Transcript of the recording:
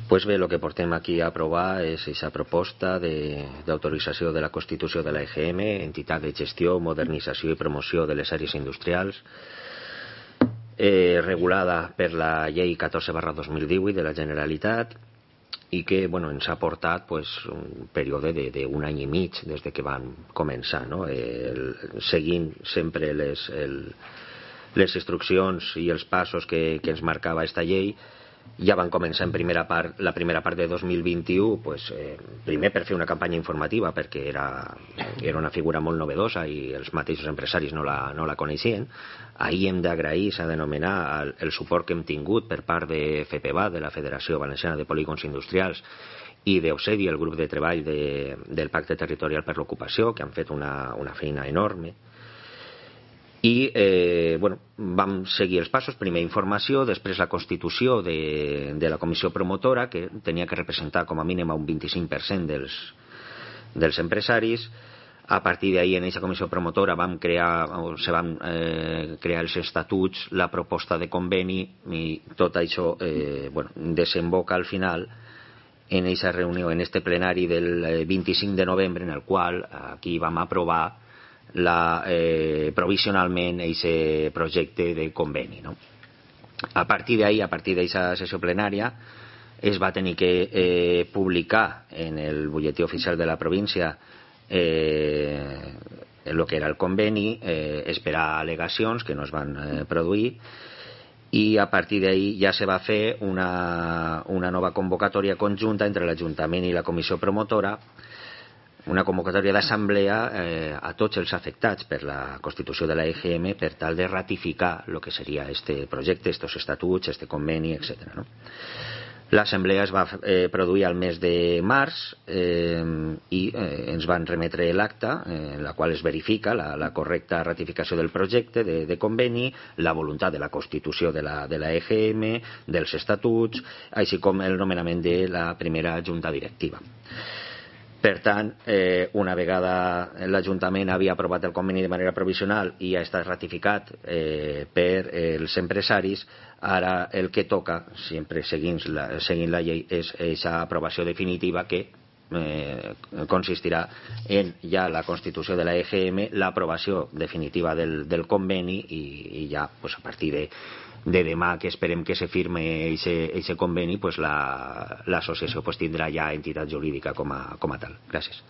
Pues bé, el que portem aquí a aprovar és aquesta proposta d'autorització de la constitució de la EGM, entitat de gestió, modernització i promoció de les àrees industrials, regulada per la llei 14/2018 de la Generalitat, i que ens ha portat un període d'un any i mig des de que van començar, no? Seguint sempre les instruccions i els passos que ens marcava aquesta llei. Ja van començar la primera part de 2021, primer per fer una campanya informativa, perquè era una figura molt novedosa i els mateixos empresaris no la coneixien. Ahir hem d'agrair, s'ha d'anomenar, el suport que hem tingut per part de FPVA, de la Federació Valenciana de Polígons Industrials, i d'Eusedi, el grup de treball del Pacte Territorial per l'Ocupació, que han fet una feina enorme. I vam seguir els passos, primer informació, després la constitució de la comissió promotora, que tenia que representar com a mínim un 25% dels empresaris. A partir d'ahir, en aquesta comissió promotora se van crear els estatuts, la proposta de conveni, i tot això desemboca al final en aquesta reunió, en este plenari del 25 de novembre, en el qual aquí vam aprovar provisionalment aquest projecte de conveni, no? A partir d'ahir, a partir d'aquesta sessió plenària, es va tenir que publicar en el butlletí oficial de la província el que era el conveni, esperar al·legacions que no es van produir, i a partir d'ahir ja se va fer una nova convocatòria conjunta entre l'Ajuntament i la comissió promotora, una convocatòria d'assemblea a tots els afectats per la constitució de la EGM per tal de ratificar el que seria este projecte, estos estatuts, este conveni, etc. No? L'assemblea es va produir al mes de març i ens van remetre l'acta en la qual es verifica la correcta ratificació del projecte de conveni, la voluntat de la constitució de la EGM, dels estatuts, així com el nomenament de la primera junta directiva. Per tant, una vegada l'Ajuntament havia aprovat el conveni de manera provisional i ha estat ratificat per els empresaris, ara el que toca, sempre seguint la llei, és aquesta aprovació definitiva que consistirà en ja la constitució de la EGM, l'aprovació definitiva del conveni i ja a partir de demà, que esperem que se firme aquest conveni, l'associació tindrà ja entitat jurídica com a tal. Gràcies.